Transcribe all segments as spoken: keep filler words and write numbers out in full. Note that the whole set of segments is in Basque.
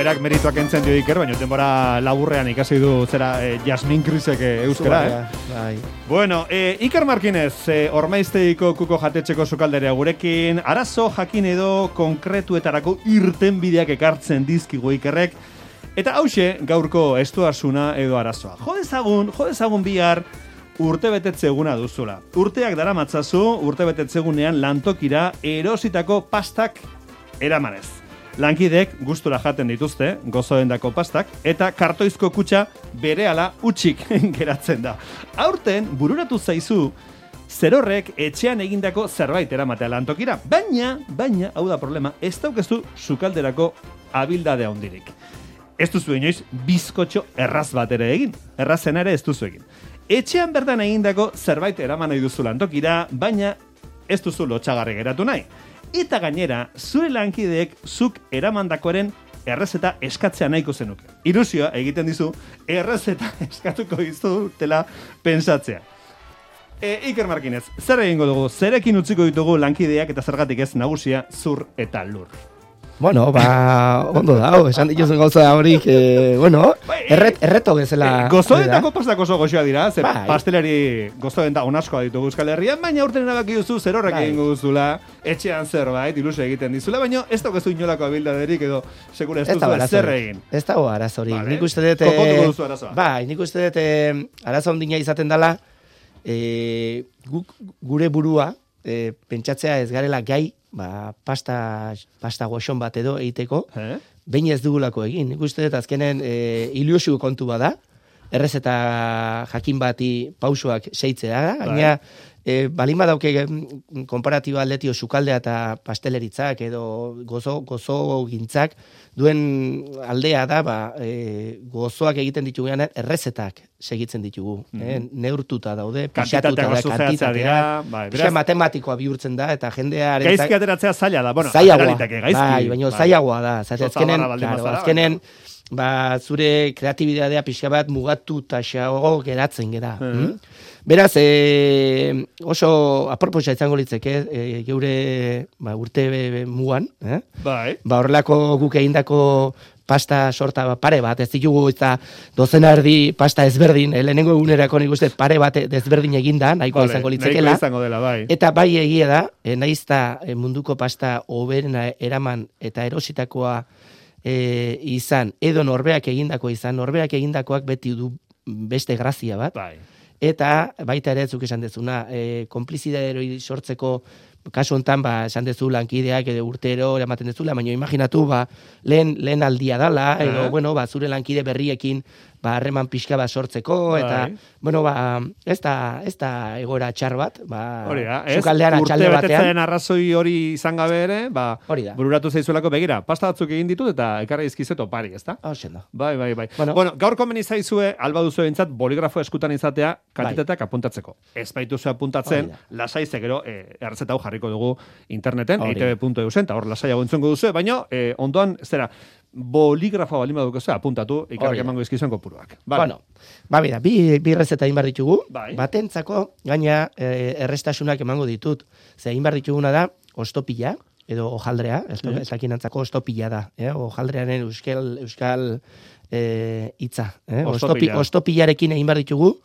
berak merituak entzen dio Iker, baina denbora laburrean ikasi du zera eh, Jasmin Krisek eh, euskara, eh? Bai. Bueno, eh, Iker Markinez, eh, Ormaizteiko kuko jatetxeko sukalderea gurekin, arazo jakin edo konkretuetarako irtenbideak ekartzen dizkigu Ikerrek, eta hause gaurko estuasuna edo arazoa. Jodezagun, jodezagun bihar urte betetze eguna duzula. Urteak dara matzazu, urte betetze egunean lantokira erositako pastak eramanez. Lankidek gustura jaten dituzte, gozoendako pastak, eta kartoizko kutxa berehala utxik geratzen da. Aurten, bururatu zaizu, zerorrek etxean egindako zerbait eramatea lantokira. Baina, baina, hau da problema, ez daukezu sukalderako abildade handirik. Ez duzu inoiz bizkotxo erraz bat ere egin. Errazen ere ez duzu egin. Etxean bertan egindako zerbait eraman nahi duzu lantokira, baina ez duzu lotxagarri geratu nahi. Eta gainera, zure lankideek zuk eramandakoaren errezeta eskatzea nahiko zenuke. Ilusioa egiten dizu, errezeta eskatuko dizutela pentsatzea. E, Iker Markinez, zer egingo dugu? Zerekin utziko ditugu lankideak eta zergatik ez nagusia zur eta lur? Bueno, ba, ondo da, esan dituzun gauza horik, eh, bueno, erret, erreto bezala. Eh, gozoendako pastak oso goxoa dira, ze bai. Pastelari gozoenda onaskoa ditugu Euskal Herrian, baina urten erabaki duzu zer horrek bai. egingo duzula, etxean zerbait, ilusio egiten dizula, baina ez daukezu inolako abildaderik edo sekura ez duzu zer egin. Ez dago arazorik. Vale. Nik uste dut... Konpontuko duzu arazoa. Bai, nik uste dut eh, arazo ondina izaten dela, eh, guk, gure burua, eh, pentsatzea ez garela gai, ba, pasta, pasta goxon bat edo egiteko, eh? behin ez dugulako egin. Nik uste dut azkenen e, ilusio kontu bada, errezeta jakin bati pausoak seitzea da, gaina e, balin badauke konparatiba atletio sukaldea eta pasteleritzak edo gozo, gozo gintzak duen aldea da, ba, e, gozoak egiten ditugunean errezetak segitzen ditugu. Mm -hmm. eh? Neurtuta daude, pixatuta da, kantitatea, bai, pixa matematikoa bihurtzen da, eta jendea... Gaizki ateratzea zaila da, bueno, zailagoa, gaizki. Bai, baina bai. Zailagoa da, zate, azkenen, claro, azkenen, ba, zure kreatibitatea pixka bat mugatu eta xago geratzen gera. Mm -hmm. Beraz, e, oso aproposa izango litzeke, e, geure ba, urte mugan, eh? Bai. Ba, horrelako guk egindako pasta sorta pare bat, ez ditugu eta dozena erdi pasta ezberdin, eh, lehenengo egunerako nik uste pare bat ezberdin eginda, nahikoa vale, izango litzekela. Nahikoa izango dela, bai. Eta bai egia da, eh, naizta eh, munduko pasta hoberena eraman eta erositakoa eh, izan, edo norberak egindako izan, norberak egindakoak beti du beste grazia bat. Bai. Eta baita ere zuk esan dezuna, e, konplizidadero sortzeko kasu hontan, ba, esan dezu lankideak edo urtero eramaten dezula, baina imaginatu, ba, lehen, lehen aldia dala, edo, eh? bueno, ba, zure lankide berriekin, ba, harreman pixka bat sortzeko, eta, bai. bueno, ba, ez da, ez da egoera txar bat, ba, sukaldean atxalde batean. Urte betetzen arrazoi hori izan gabe ere, ba, hori da. Bururatu zaizuelako begira, pasta batzuk egin ditut, eta ekarri izkizeto pari, ez da? Hoxen da. Bai, bai, bai. Bueno, bueno gaur komeni zaizue, alba duzu entzat, boligrafo eskutan izatea, kantitateak bai. apuntatzeko. Ez baituzu apuntatzen, lasai zegero, eh, errezeta hau jarriko dugu interneten, e i te be puntu e u zen, eta hor lasaiago entzungo duzu, baina eh, ondoan, zera, boligrafoa balima dukezu, apuntatu, ikarrik emango izkizuen kopuruak. Vale. Bueno, ba, bera, bi, bi errezeta egin behar ditugu, bai. Batentzako, gaina eh, errestasunak emango ditut, ze egin behar dituguna da, ostopila, edo ojaldrea, ez mm. dakinantzako ostopila da, eh? Ojaldrearen euskal, euskal eh, itza, eh? Ostopila. Ostopilarekin egin behar ditugu,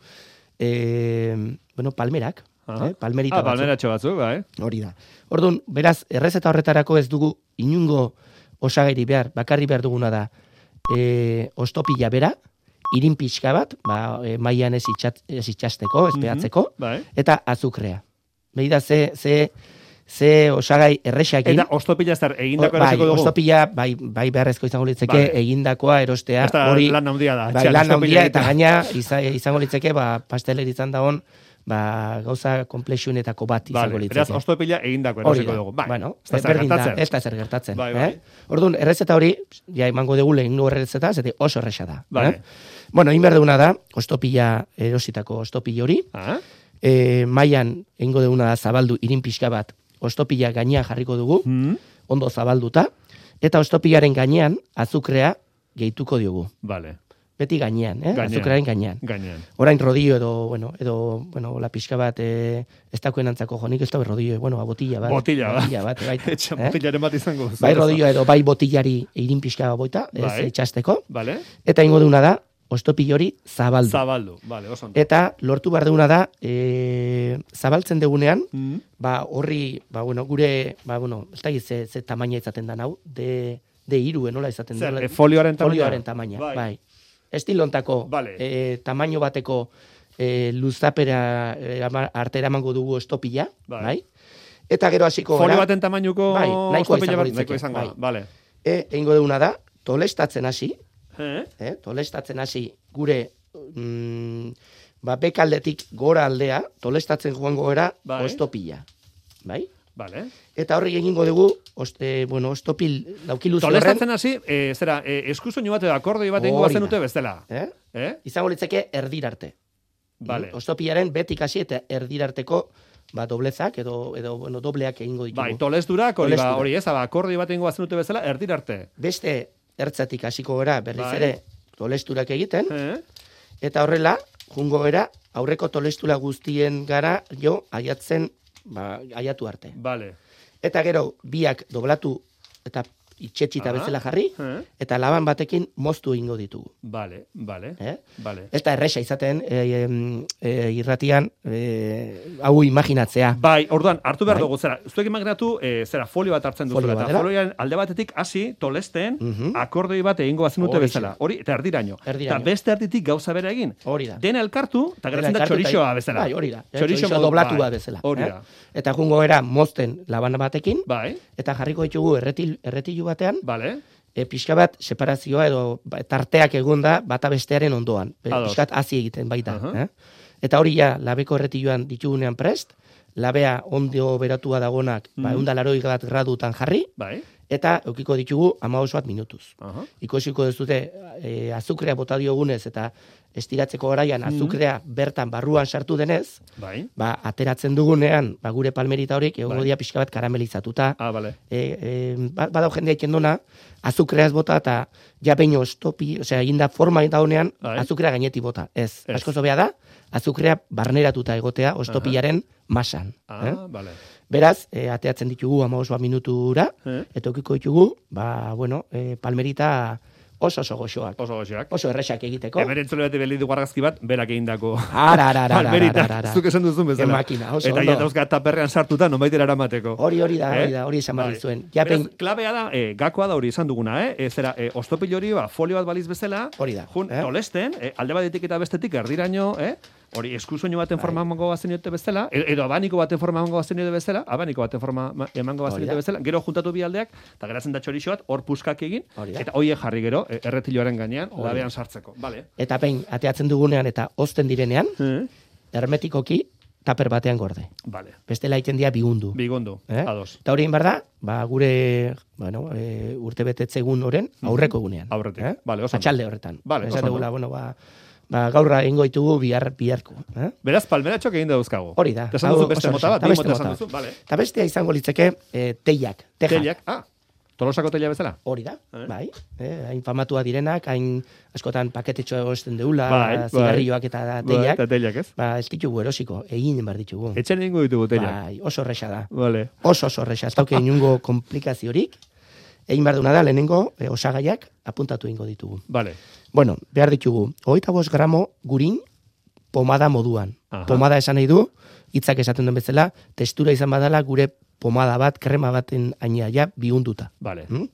eh, bueno, palmerak, eh? Palmerita ah, palmeratxo batzuk, bai. Hori da. Orduan, beraz, errezeta horretarako ez dugu inungo osagairi behar, bakarri behar duguna da, e, ostopila bera, irin pixka bat, ba, e, mailan ez, itxat, ez itxasteko, ez behatzeko, mm-hmm, bai. Eta azukrea. Beida, ze, ze, ze osagai errexakin. Eta ostopila zer, egindako bai, erosiko dugu? Ostopila, bai, bai beharrezko izango litzeke, bai. Egindakoa erostea. Eta hori, lan handia da. Bai, lan handia, eta gaina izango litzeke, ba, pasteleritzan dagoen, ba, gauza komplexionetako bat izango vale, litzeke. Beraz, ostopila egindako erosiko dugu. Bai, bueno, ez da zer gertatzen. Ez da zer gertatzen. Bai, bai. Eh? Orduan, errezeta hori, ja emango dugu lehengo errezeta, zete oso erresa da. Bai. Eh? Bueno, egin behar duguna da, ostopila erositako ostopila hori, ah? e, mailan egingo duguna da zabaldu irin pixka bat, ostopila gainean jarriko dugu, mm. ondo zabalduta, eta ostopilaren gainean azukrea gehituko diogu. Vale. beti gainean, eh? Gainean. Azukraren gainean. Gainean. Orain rodio edo, bueno, edo, bueno, la pixka bat, eh, ez dakoen antzako jonik, ez da rodio, bueno, ba, botilla bat. Botilla bat. Botilla bat, baita. Etxe, botillaren bat izango. Bai rodio edo bai botillari irin pixka boita, ez Bai. etxasteko. Vale. Eta ingo duna da, ostopil hori zabaldu. Zabaldu, vale, oso ondo. Eta lortu behar duguna da, e, zabaltzen degunean, Mm. ba, horri, ba, bueno, gure, ba, bueno, ez da ze, ze tamaina izaten da hau, de, de iru, nola izaten da. Zer, e, folioaren tamaina? Folioaren tamaina, Bai. bai. Estilontako, Vale. e, tamaino bateko e, luzapera e, ama- arte eramango dugu estopila, Bai. bai. Eta gero hasiko Folio gara, baten tamainuko bai, nahikoa ostopila izango bat, litzake, nahikoa izango, bai. da, vale. e, egingo duguna da, tolestatzen hasi, Eh? eh, tolestatzen hasi gure mm, ba, bekaldetik gora aldea, tolestatzen joango gara Bai. ostopila. Bai? Vale. Eta horri egingo dugu, oste, bueno, ostopil laukiluze horren, Tolestatzen hasi, eh, zera, eh, eskusoinu bat edo akordoi bat egingo Hori bazen da. dute bestela. eh? Eh? izango litzake erdirarte. Vale. Ostopilaren betik hasi eta erdirarteko ba, doblezak edo, edo bueno, dobleak egingo ditugu. Bai, tolesdurak, hori, ba, Tolesdura. hori ez, ba, akordoi bat egingo bazen dute bezala, erdirarte. Beste ertzatik hasiko gara berriz Bai. ere tolesturak egiten, Eh? eta horrela, jungo gara, aurreko tolestura guztien gara, jo, aiatzen, ba, aiatu arte. Vale. Eta gero, biak doblatu eta itxetxita Aha. bezala jarri, Eh? eta laban batekin moztu egingo ditugu. Vale, vale, Eh? vale. Ez da erresa izaten, e, e, irratian, e, hau imaginatzea. Bai, orduan, hartu behar Bai. dugu, zera, zuek imaginatu, e, zera, folio bat hartzen Folio duzula, bat eta dela. folioan alde batetik hasi, tolesten, Mhm. akordoi bat egingo bazen dute Horixe. bezala. Hori, eta erdiraino. Erdiraino. Eta beste erditik gauza bera egin. Hori da. Dena elkartu, eta geratzen da Elkartu eta- txorixoa bezala. Bai, hori da. Txorixo Txorixo modu- doblatu bai, bezala. Hori eh? da. Eta jungo era mozten laban batekin, Bai, eta jarriko ditugu erretil, erretilu batean, vale. e, pixka bat separazioa edo ba, tarteak egonda bata bestearen ondoan. E, Ados. pixka bat hazi egiten baita. Aha. eh? Eta hori ja, labeko erretiluan ditugunean prest, labea ondo beratua dagonak, ba, Mhm. ehun eta laurogei bat gradutan jarri, Bai. eta eukiko ditugu hamabost bat minutuz. Aha. Ikusiko duzute e, azukrea bota diogunez eta estiratzeko garaian azukrea bertan barruan sartu denez, Bai. ba, ateratzen dugunean, ba, gure palmerita horiek egongo Bai. dira pixka bat karamelizatuta. Ah, vale. E, e, ba- badau jendea ikendona, azukreaz bota eta ja behin ostopi, osea, eginda forma eta honean, Bai. azukrea gainetik bota. Ez, Ez. asko zobea da, azukrea barneratuta egotea ostopilaren masan. Ah, eh? vale. Beraz, e, ateatzen ditugu hamabost bat minutura, Eh? eta eukiko ditugu, ba, bueno, e, palmerita oso oso goxoak. Oso goxoak. Oso erresak egiteko. Hemen entzule beti beli dugu argazki bat, berak egindako. Ara, ara, ara, ara, Palmerita, ara, ara. zuk esan duzun Ke bezala. makina, oso Eta ondo. ja dauzka taperrean sartuta, nonbaitera eramateko. Hori hori da, hori Eh? da, hori esan behar Bai. dizuen. Ja, Beraz, behin, klabea da, eh, gakoa da hori esan duguna, eh? E, zera, eh, ostopil hori, ba, folio bat baliz bezala, Hori da, jun, eh? tolesten, eh, alde batetik eta bestetik erdiraino, eh? Hori eskusoinu baten Bai. forma emango bazen dute bezala, e- edo abaniko baten forma emango bazen dute bezala, abaniko baten forma ma- emango bazen Hori dute da. bezala, gero juntatu bi aldeak, eta geratzen da txorixo bat, hor puskak egin, Hori da. eta hoiek jarri gero, eh, erretiloaren gainean, Hori labean sartzeko. Vale. eta behin, ateatzen dugunean eta ozten direnean, Eh? hermetikoki taper batean gorde. Vale. Bestela egiten dira bigundu. Bigondo, Eh? ados. Eta hori egin behar da, ba, gure bueno, e, urte betetze egun oren aurreko egunean. Aurretik. Eh? Vale, oso ondo. Atxalde horretan. Vale, Esan oso ondo. dugula, bueno, ba, ba, gaurra egingo ditugu bihar biharko. Eh? Beraz, palmeratxok egin dauzkago. Hori da. Eta esan Hau duzu beste oso mota oso. bat, Eta bi beste mota esan mota. duzu, vale. Eta bestea izango litzeke e, teiak, tejak. Teliak, ah, tolosako telia bezala? Hori da, Eh? bai. Eh, hain famatua direnak, hain askotan paketetxo egosten deula, Bai, bai. zigarrilloak eta Bai, teiak. eta teliak ez? Ba, ez ditugu erosiko, egin behar ditugu. Etxen egingo ditugu teliak. Bai, oso erresa da. Vale. Oso oso erresa, ez dauke inungo komplikaziorik. Egin behar duna da, lehenengo e, osagaiak apuntatu egingo ditugu. Vale. Bueno, behar ditugu, hogeita bost gramo gurin pomada moduan. Aha. Pomada esan nahi du, hitzak esaten duen bezala, testura izan badala gure pomada bat, krema baten aina ja bihunduta. Vale. Mm?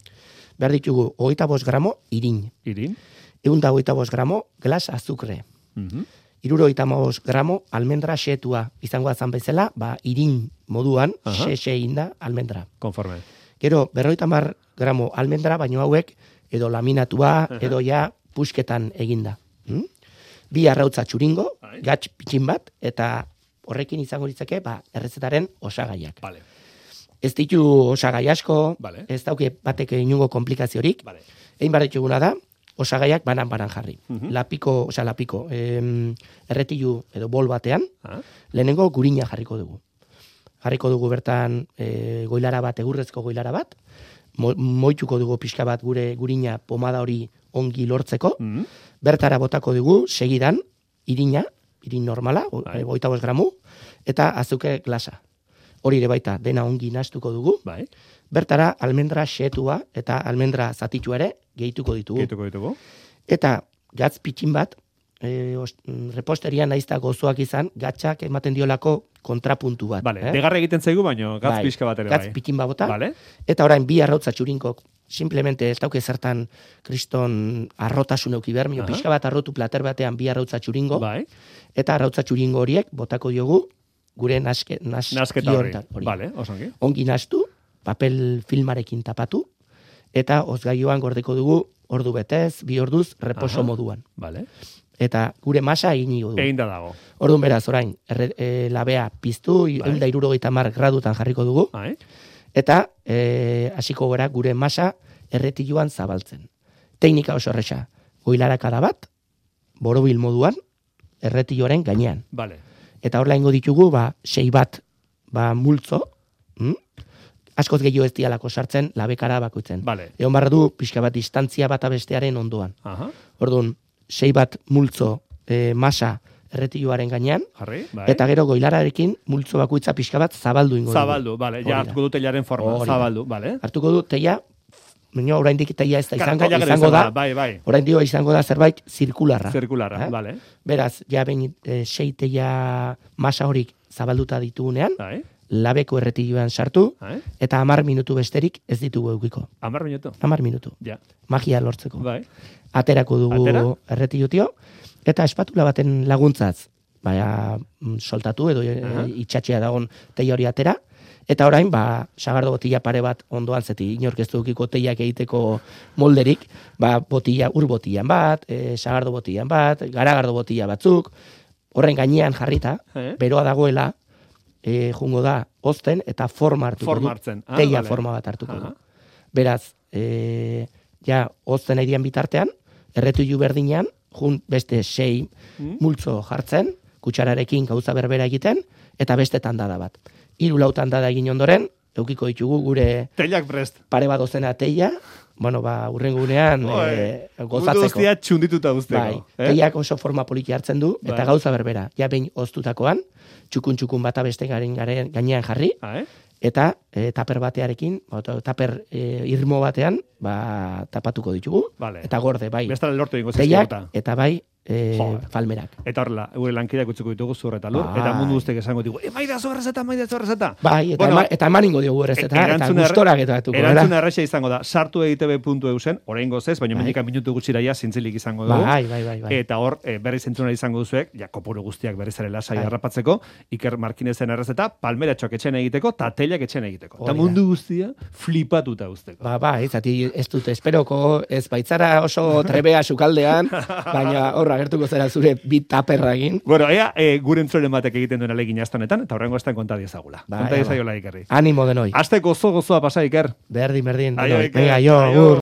Behar ditugu, hogeita bost gramo irin. Irin. Egun da hogeita bost gramo glas azukre. Mhm. Irurogeita bost gramo almendra xetua izango azan bezala, ba, irin moduan, Aha. xe-xe inda almendra. Konforme. Gero, berrogeita hamar gramo almendra, baino hauek edo laminatua, Aha. edo ja pusketan eginda. Mm? Bi arrautza txuringo, Bai. gatz pitxin bat, eta horrekin izango litzake, ba, errezetaren osagaiak. Vale. Ez ditu osagai asko, Vale. ez dauke batek inungo komplikaziorik, Vale. egin behar dituguna da, osagaiak banan-banan jarri. Mhm. Lapiko, osea, lapiko, em, erretilu edo bol batean, Ah, lehenengo gurina jarriko dugu. Jarriko dugu bertan e, goilara bat, egurrezko goilara bat, mo, moituko dugu pixka bat gure gurina pomada hori ongi lortzeko, Mm. bertara botako dugu, segidan, irina, irin normala, Bai. hogeita bost gramu, eta azuke glasa. Hori ere baita, dena ongi nastuko dugu. Bai. Bertara, almendra xetua eta almendra zatitua ere gehituko ditugu. Gehituko ditugu. Eta gatz pitxin bat, e, os- mm, reposteria naizta gozoak izan, gatzak ematen diolako kontrapuntu bat. Vale, eh? degarra egiten zaigu, baino gatz Bai, pixka bat ere gatz bai. pitxin bat bota, Vale. eta orain bi arrautza txurinkok, simplemente ez dauke zertan kriston arrotasun euki behar, mio Aha. pixka bat arrotu plater batean bi arrautza txuringo, Bai. eta arrautza txuringo horiek botako diogu gure naske, naski Nasketa horri. hontan, hori. Vale, osongi. Ongi nastu, papel filmarekin tapatu, eta ozgaioan gordeko dugu ordu betez, bi orduz, reposo Aha. moduan. Vale. Eta gure masa egin dugu. Egin da dago. Orduan beraz, orain, erre, e, labea piztu, Bai. ehun eta hirurogeita hamar gradutan jarriko dugu, Bai. eta e, hasiko gara gure masa erretiluan zabaltzen. Teknika oso erresa, goilarakada bat, borobil moduan, erretiloaren gainean. Vale. Eta horla ingo ditugu, ba, sei bat, ba, multzo, hm? askoz gehiago ez dialako sartzen, labekara bakoitzen. Vale. Egon barra du, pixka bat distantzia bata bestearen ondoan. Aha. Orduan, sei bat multzo e, masa erretiloaren gainean, Jarri. Bai. eta gero goilararekin multzo bakoitza pixka bat zabaldu ingo dugu. Zabaldu, vale. Hori Ja da. hartuko du teilaren forma. Hori da. Zabaldu, vale. Hartuko du teia, baina oraindik teia ez da izango, Teila gero izango da, Bai, bai. orain dio izango da zerbait zirkularra. Zirkularra, Eh? vale. Beraz, ja behin e, sei teia masa horik zabalduta ditugunean, Bai. labeko erretiloan sartu, Bai. eta hamar minutu besterik ez ditugu eukiko. Hamar minutu. Hamar minutu. Ja. Magia lortzeko. Bai. Aterako dugu Atera? erretilutio, eta espatula baten laguntzaz, baina mm, soltatu edo e, Aha. itxatxea dagon teia hori atera, eta orain, ba, sagardo botila pare bat ondoan zeti, inork ez dukiko teiak egiteko molderik, ba, botila, ur botilan bat, e, sagardo botilan bat, garagardo botila batzuk, horren gainean jarrita, Eh? beroa dagoela, e, jungo da, ozten, eta forma hartuko Forma du. hartzen. Ah, teia vale. forma bat hartuko Aha. du. Beraz, e, ja, ozten aidian bitartean, erretilu berdinean, jun beste sei Mm. multzo jartzen, kutsararekin gauza berbera egiten, eta beste tandada bat. Hiru lau tandada egin ondoren, eukiko ditugu gure Teilak prest. pare bat dozena teia, bueno, ba, urrengo unean Oi, e, Mundu gozatzeko. guztia txundituta guzteko. Bai, eh? teiak oso forma poliki hartzen du, eta Bai. gauza berbera. Ja behin oztutakoan, txukun-txukun bata beste garen garen gainean jarri, Ah, eh? eta e, taper batearekin, ba, taper e, irmo batean, ba, tapatuko ditugu, Vale. eta gorde, bai, Bestara lortu ingo teiak, zizkiota. eta bai, e, Jo. falmerak. Eta horrela, gure lankideak utziko ditugu zur eta lur, Bai. eta mundu guztiak esango digu, e, maida zu errezeta, maida zu errezeta. Bai, eta, Bueno, ema, eta eman ingo diogu errezeta, eta erantzuna erre- gustora getatuko, Erantzuna erresa izango da, sartu egitebe puntu eusen, oraingo ez, baina Bai. mendikan minutu gutxira ja zintzilik izango dugu. Bai, bai, bai, bai. Eta hor, e, berriz entzuna izango duzuek, ja, kopuru guztiak berriz ere lasai Bai. harrapatzeko, Iker Markinezen errezeta, palmeratxoak etxen egiteko, eta teilak etxen egiteko. Eta Hori da. mundu guztia flipatuta uzteko. Ba, ba, ez, ati ez dut esperoko, ez baitzara oso trebea sukaldean, baina horra gertuko zera zure bit taperra egin. Bueno, ea, e, gure entzuren batek egiten duen alegin astanetan, eta horrengo estan konta diezagula. Bai, konta bai. diezaiola Ikerri. Animo denoi. Aste gozo gozoa pasa, Iker. Berdin, berdin. Aio, denoi. Iker. Venga, jo, Aio. agur.